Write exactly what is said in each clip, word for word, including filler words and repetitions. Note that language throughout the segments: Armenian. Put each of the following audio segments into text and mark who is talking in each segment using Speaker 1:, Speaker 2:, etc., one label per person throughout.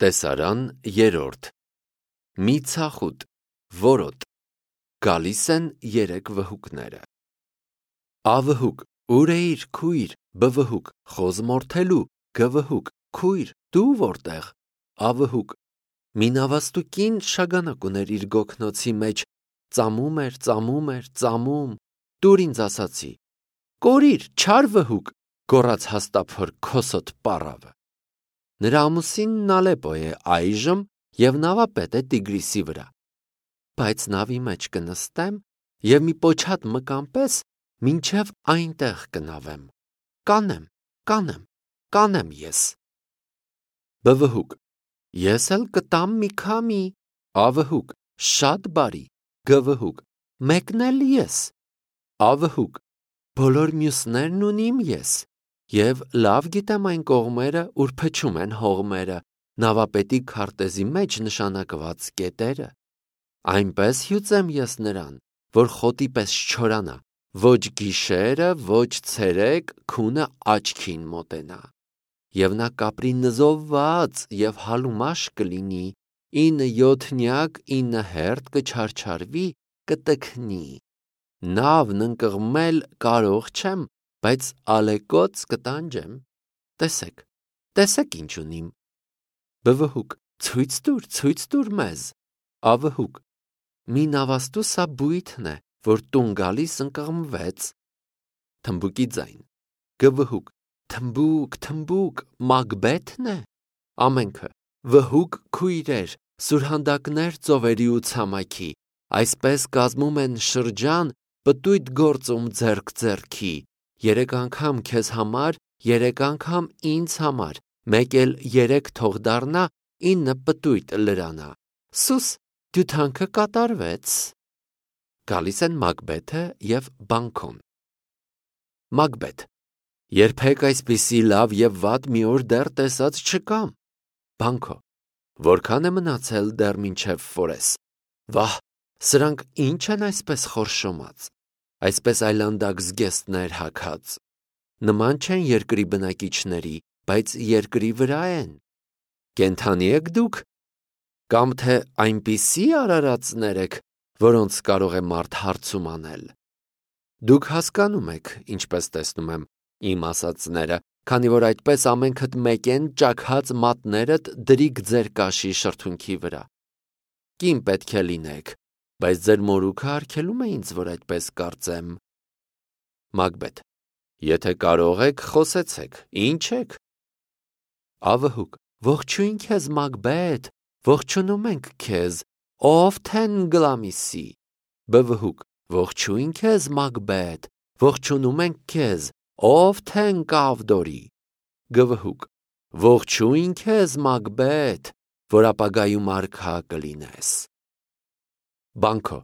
Speaker 1: Տեսարան երրորդ Մի ցախուտ, որոտ, գալիս են երեք վհուկները։ Ավհուկ, ուր էիր քույր, բվհուկ, խոզմորթելու, գվհուկ, քույր, դու որտեղ, ավհուկ։ Մի նավաստու կին շագանակ ուներ իր գոգնոցի մեջ, ծամում էր, ծամում էր, ծամում, տուր ինձ ասացի, կորիր, չար վհուկ, գոռաց հաստափոր քոսոտ պառավը։ Նրա ամուսինն Ալեպո է այժմ և նավապետ է Տիգրիսի վրա։ Բայց նավի մեջ կնստեմ և մի պոչատ մկան պես մինչև այնտեղ կնավեմ, կանեմ, կանեմ, կանեմ ես։ Բվհուկ, ես էլ կտամ մի քամի, ավհուկ, շատ բարի, գվհուկ, մեկն էլ ես, ավհուկ, բոլոր մյուսներն ունիմ ես, և լավ գիտեմ այն կողմերը, ուր փչում են հողմերը, նավապետի քարտեզի մեջ նշանակված կետերը, այնպես հյուծեմ ես նրան, որ խոտի պես չչորանա, ոչ գիշերը, ոչ ցերեկ քունը աչքին մոտենա, և նա կապրի նզովված և հալումաշ կլինի, ինը յոթնյակ ինը հերթ կչարչարվի, կտքնի, նավն ընկղմել կարող չեմ, բայց ալեկոծ կտանջեմ, տեսեք, տեսեք ինչ ունիմ, բվհուկ, ցույց տուր, ցույց տուր մեզ, ավհուկ, մի նավաստու սա բույթն է, որ տուն գալիս ընկղմվեց, թմբուկի ձայն, գվհուկ, թմբուկ, թմբուկ, Մագբեթն է, ամենքը, վհուկ քույրեր, սուրհանդակներ ծովերի ու ցամաքի, այսպես կազմում են շրջան, պտույտ գործում ձեռք ձեռքի, երեք անգամ քեզ համար, երեք անգամ ինձ համար, մեկ էլ երեք թող դառնա, ինը պտույտ լրանա, սուս, դյութանքը կատարվեց։ Գալիս են Մագբեթը և Բանքոն։ Մագբեթ, երբեք այսպիսի լավ և վատ մի օր դեռ տեսած չկամ։ Բանքո, որքան է մնացել դեռ մինչև ֆորես, վահ, սրանք ինչ են այսպես խորշոմած, այսպես այլանդակ զգեստներ հագած, նման չեն երկրի բնակիչների, բայց երկրի վրա են, կենդանի եք դուք, կամ թե այնպիսի արարածներ եք, որոնց կարող է մարդ հարցում անել։ Դուք հասկանում եք, ինչպես տեսնում եմ, իմ ասածները, քանի որ այդպես ամենքդ մեկ են ճաքած մատներդ դրիք ձեր կաշի շրթունքի վրա։ Կին պետք է լինեք, բայց ձեր մորուքը արգելում է ինձ, որ այդպես կարծեմ։ Մագբեթ, եթե կարող եք, խոսեցեք, ինչ եք։ Ավհուկ, ողջույն քեզ Մագբեթ, ողջունում ենք քեզ, ով Թենգլամիսի, բվհուկ, ողջույն քեզ Մագբեթ, ողջունում ենք քեզ, ով Թենկավդորի, գվհուկ, ողջույն քեզ Մագբեթ, որ ապագայում արքա կլինես։ Բանքո,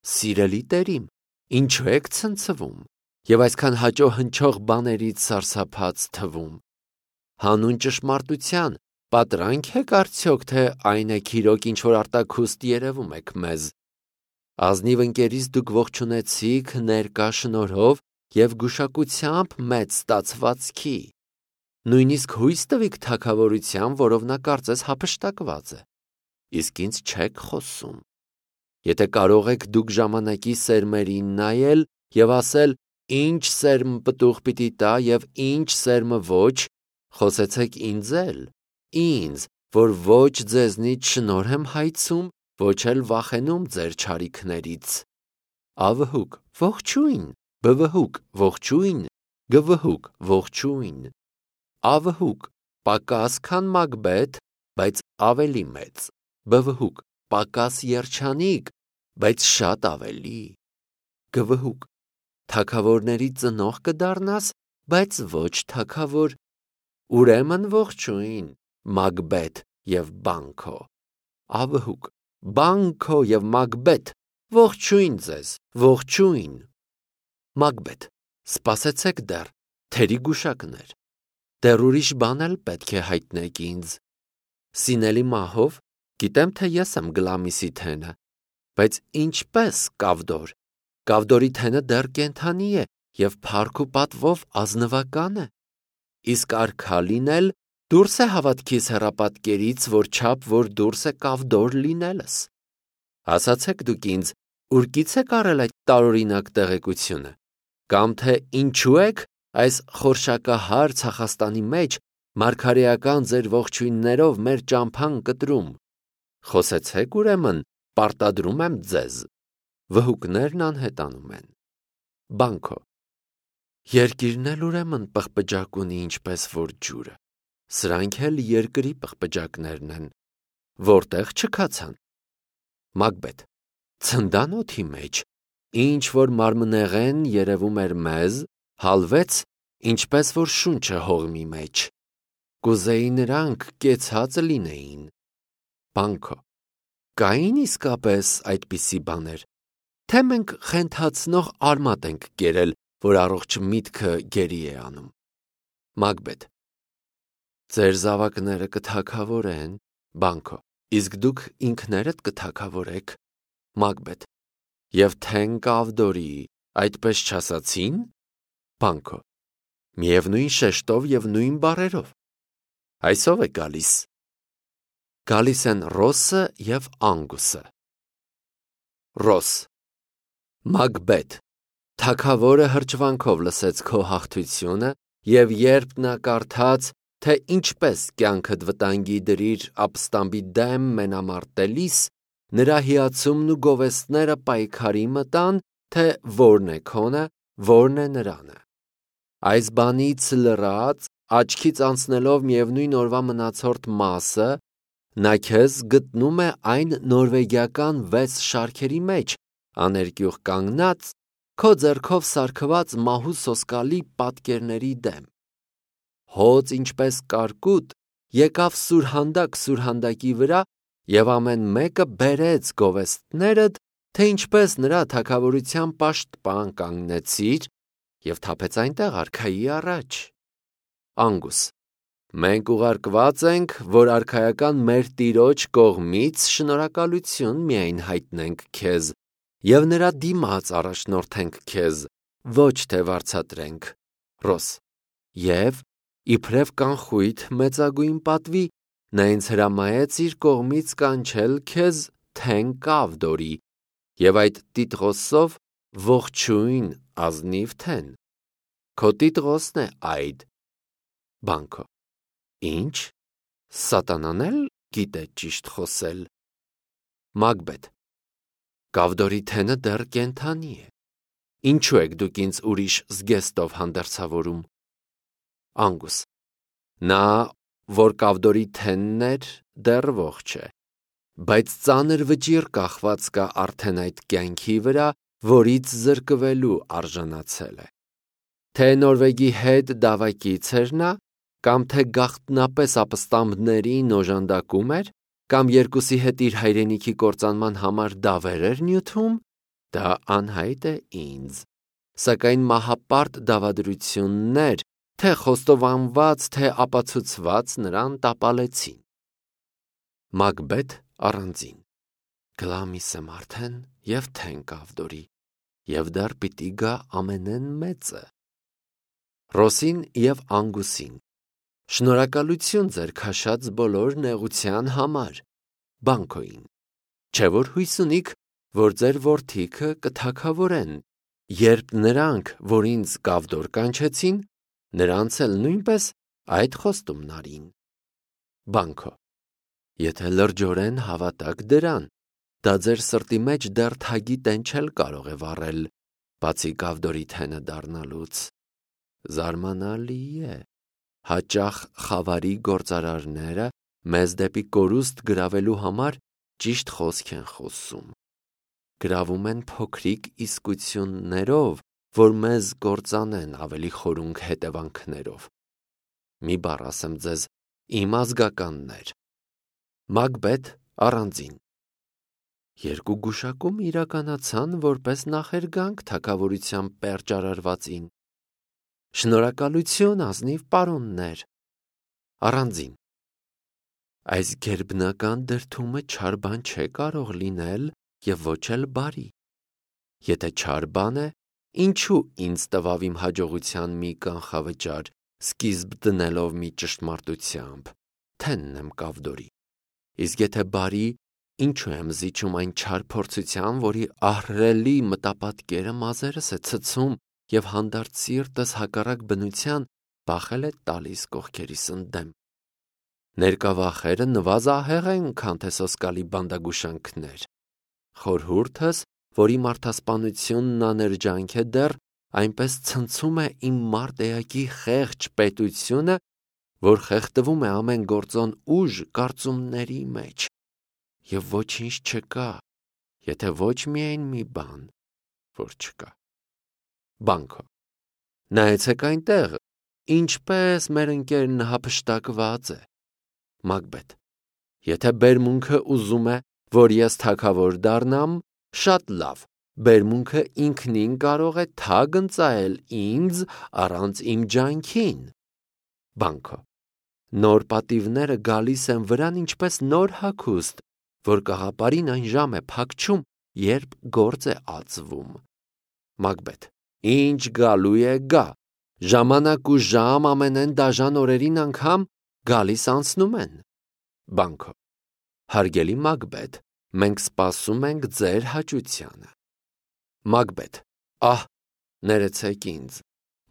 Speaker 1: սիրելի տերիմ, ինչու եք ցնցվում և այսքան հաճո հնչող բաներից սարսափած թվում։ Հանուն ճշմարտության պատրանք եք արդյոք, թե այն եք իրոք ինչ-որ արտաքուստ երևում եք մեզ։ Ազնիվ ընկերից դուք ողջունեցիք ներկա շնորհով և գուշակությամբ մեծ ստացվածքի։ Նույնիսկ հույս տվիք թագավորության, որով նա կարծես հափշտակված է, իսկ ինձ չեք խոսում։ Եթե կարող եք դուք ժամանակի սերմերին նայել և ասել, ինչ սերմ պտուղ պիտի տա և ինչ սերմը ոչ, խոսեցեք ինձ էլ, ինձ, որ ոչ ձեզնից շնորհ եմ հայցում, ոչ էլ վախենում ձեր չարիքներից։ Ավհուկ, ողջույն, բվհուկ, ողջույն, գվհուկ, ողջույն, ավհուկ, պակաս քան Մագբեթ, բայց ավելի մեծ, բվհուկ, պակաս երջանիկ, բայց շատ ավելի, գվհուկ, թագավորների ծնող կդառնաս, բայց ոչ թագավոր, ուրեմն ողջույն, Մագբեթ և Բանքո, ավհուկ, Բանքո և Մագբեթ, ողջույն ձեզ, ողջույն։ Մագբեթ, սպասեցեք դեռ, թերի գուշակներ, դեռ ուրիշ բան էլ պետք է հայտնեք ինձ։ Սինելի մահով, գիտեմ, թե ես եմ Գլամիսի թենը, բայց ինչպես Կավդոր, Կավդորի թենը դեռ կենդանի է և փառք ու պատվով ազնվական է, իսկ արքա լինել Դուրս է հավատքիս հեռապատկերից, որ չափ, որ դուրս է կավդոր լինելս։ Ասացեք դուք ինձ, ուրկից եք առել այդ տարօրինակ տեղեկությունը, կամ թե ինչու եք այս խորշակահար ցախաստանի մեջ մարգարեական ձեր ողջույններով մեր ճամփան կտրում։ Խոսեցեք ուրեմն, պարտադրում եմ ձեզ։ Վհուկներն անհետանում են։ Բանկո. Երկիրն էլ ուրեմն պղպջակ ունի ինչպես որ ջուրը, սրանք էլ երկրի պղպջակներն են, որտեղ չքացան։ Մագբեթ. ցնդանոթի մեջ, ինչ որ մարմնեղեն երևում էր մեզ, հալվեց, ինչպես որ շունչը հողմի մեջ, կուզեի նրանք կեցած լինեին։ Բանկո. կային իսկապես այդպիսի բաներ, թե մենք խենթացնող արմատ ենք կերել, որ առողջ միտքը գերի է անում։ Մագբեթ. ձեր զավակները կթագավորեն։ Բանկո. իսկ դուք ինքներդ կթագավորեք։ Մագբեթ. և թեն կավդորի, այդպես չասացին։ Բանկո. միևնույն շեշտով և նույն բառերով։ Այսով է գալիս։ Գալիս են Ռոսը և Անգուսը։ Ռոս. Մագբեթ. Թագավորը հրճվանքով լսեց քո հաղթությունը, և երբ նա կարդաց, թե ինչպես կյանքդ վտանգի դրիր ապստամբի դեմ մենամարտելիս, նրա հիացումն ու գովեստները պայքարի մտան, թե որն է քոնը, որն է նրանը։ Այս բանից լռած, աչքից անցնելով միևնույն օրվա մնացորդ մասը, նա քեզ գտնում է այն նորվեգիական վեց շարքերի մեջ, աներկյուղ կանգնած, քո ձեռքով սարքված մահու սոսկալի պատկերների դեմ։ Հոծ ինչպես կարկուտ, եկավ սուրհանդակ սուրհանդակի վրա, և ամեն մեկը բերեց գովեստներդ, թե ինչպես նրա թագավորության պաշտպան կանգնեցիր, և թափեց այնտեղ արքայի առաջ։ Անգուս. մենք ուղարկված ենք, որ արքայական մեր տիրոջ կողմից շնորհակալություն միայն հայտնենք քեզ, և նրա դիմաց առաջնորդենք քեզ, ոչ թե վարձատրենք։ Ռոս. և իբրև կանխույթ մեծագույն պատվի, նա ինձ հրամայեց իր կողմից կանչել քեզ թեն կավդորի, և այդ տիտղոսով ողջույն ազնիվ թեն։ Քո տիտղոսն է այդ։ Բանկո. Ինչ, սատանան էլ գիտե ճիշտ խոսել։ Մագբեթ. կավդորի թենը դեռ կենդանի է, ինչու եք դուք ինձ ուրիշ զգեստով հանդերձավորում։ Անգուս. նա, որ կավդորի թենն էր, դեռ ողջ է, բայց ծանր վճիռ կախված կա արդեն այդ կյանքի վրա, որից զրկվելու արժանացել է։ Թե Նորվեգի հետ դավակից էր նա, կամ թե գաղտնապես ապստամբներին օժանդակում էր, կամ երկուսի հետ իր հայրենիքի կործանման համար դավեր էր նյութում, դա անհայտ է ինձ, սակայն մահապարտ դավադրություններ, թե խոստովանված, թե ապացուցված նրան տապալեցին։ Մագբեթ առանձին. գլամիս եմ արդեն և թեն կավդորի, և դեռ պիտի գա ամենեն մեծը։ Ռոսին և Անգուսին. շնորհակալություն ձեր քաշած բոլոր նեղության համար։ Բանկոին. չէ՞ որ հույս ունիք, որ ձեր որդիքը կթագավորեն, երբ նրանք, որ ինձ կավդոր կանչեցին, նրանց էլ նույնպես այդ խոստումն արին։ Բանկո. եթե լրջորեն հավատաք դրան, դա ձեր սրտի մեջ դեռ թագի տենչել կարող է վառել, բացի կավդորի թենը դառնալուց։ Զարմանալի է, հաճախ խավարի գործարարները մեզ դեպի կորուստ գրավելու համար ճիշտ խոսք են խոսում։ Գրավում են փոքրիկ իսկություններով, որ մեզ կործանեն ավելի խորունգ հետևանքներով։ Մի բառ ասեմ ձեզ, իմ ազգականներ։ Մագբեթ առանձին. երկու գուշակում իրականացան որպես նախերգանք թագավորության պերճարարվածին։ Շնորհակալություն ազնիվ պարոններ։ Առանձին. այս գերբնական դրդումը չար բան չէ կարող լինել և ոչ էլ բարի։ Եթե չար բան է, ինչու ինձ տվավ իմ հաջողության մի կանխավճար, սկիզբ դնելով մի ճշտմարտությամբ, թենն եմ կավդորի։ Իսկ եթե բարի, ինչու եմ զիջում այն չար փորձության, որի ահռելի մտապատկերը մազերս է ցցում և հանդարտ սիրտս հակառակ բնության բախել է տալիս կողքերիս ընդդեմ։ Ներկա վախերը նվազահեղ են, քան թե սոսկալի բանդագուշանքներ։ Խորհուրդս, որի մարդասպանությունն աներջանք է դեռ, այնպես ցնցում է իմ մարդ էակի խեղճ պետությունը, որ խեղդվում է ամեն գործոն ուժ կարծումների մեջ, և ոչինչ չկա, եթե ոչ միայն մի բան, որ չկա։ Բանկո. նայեցեք այնտեղ, ինչպես մեր ընկերն հափշտակված է։ Մակբեթ. եթե բերմունքը ուզում է, որ ես թագավոր դառնամ, շատ լավ, բերմունքը ինքնին կարող է թագ ընծայել ինձ առանց իմ ջանքին։ Բանկո. նոր պատիվները գալիս են վրան ինչպես նոր հագուստ, որ կաղապարին այն ժամ է փակչում, երբ գործ է ածվում։ Մակբեթ. ինչ գալու է գա, ժամանակ ու ժամ ամենեն դաժան օրերին անգամ գալիս անցնում են։ Բանկո. հարգելի Մակբեթ, մենք սպասում ենք ձեր հաճությանը։ Մակբեթ. ահ, ներեցեք ինձ,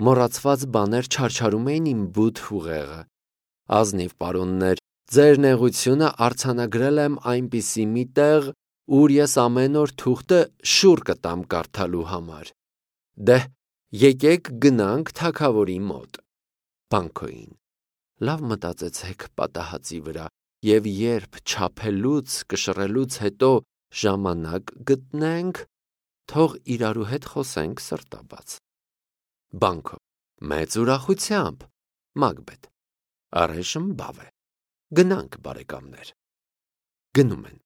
Speaker 1: մոռացված բաներ չարչարում էին իմ բութ ուղեղը։ Ազնիվ պարոններ, ձեր նեղությունը արձանագրել եմ այնպիսի մի տեղ, ուր ես ամեն օր թուղթը շուռ կտամ կարդալու համար։ Դե՛հ, եկեք գնանք թագավորի մոտ։ Բանկոյին. լավ մտածեցեք պատահածի վրա, և երբ չափելուց, կշռելուց հետո ժամանակ գտնենք, թող իրարու հետ խոսենք սրտաբաց։ Բանկո. մեծ ուրախությամբ։ Մակբեթ. առայժմ բավ է։ Գնանք, բարեկամներ։ Գնում են։